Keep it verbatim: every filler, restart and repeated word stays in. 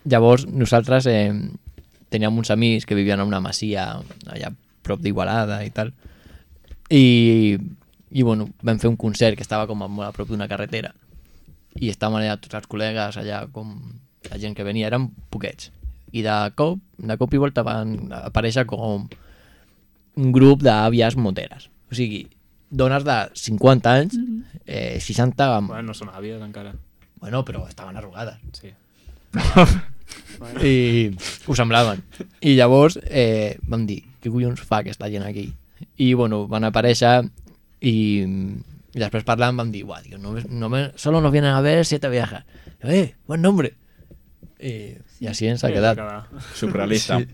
llavors nosaltres eh, teníem uns amics que vivien en una masia allà prop d'Igualada i tal, i, i bueno, vam fer un concert que estava com molt a prop d'una carretera i estàvem allà tots els col·legues allà, com la gent que venia, eren poquets, i de cop, de cop i volta van aparèixer com un grup d'àvies moteres, o sigui, dones de cinquanta anys, eh, seixanta... Amb... Bueno, no són àvies encara. Bueno, però estaven arrugades. Sí. I ho semblaven. I llavors eh, vam dir, què collons fa aquesta gent aquí? I bueno, van aparèixer i, i després parlant vam dir, guau, tío, no, no me, solo nos vienen a ver siete viejas. Eh, buen nombre. I, i així ens ha quedat. Surrealista. Sí.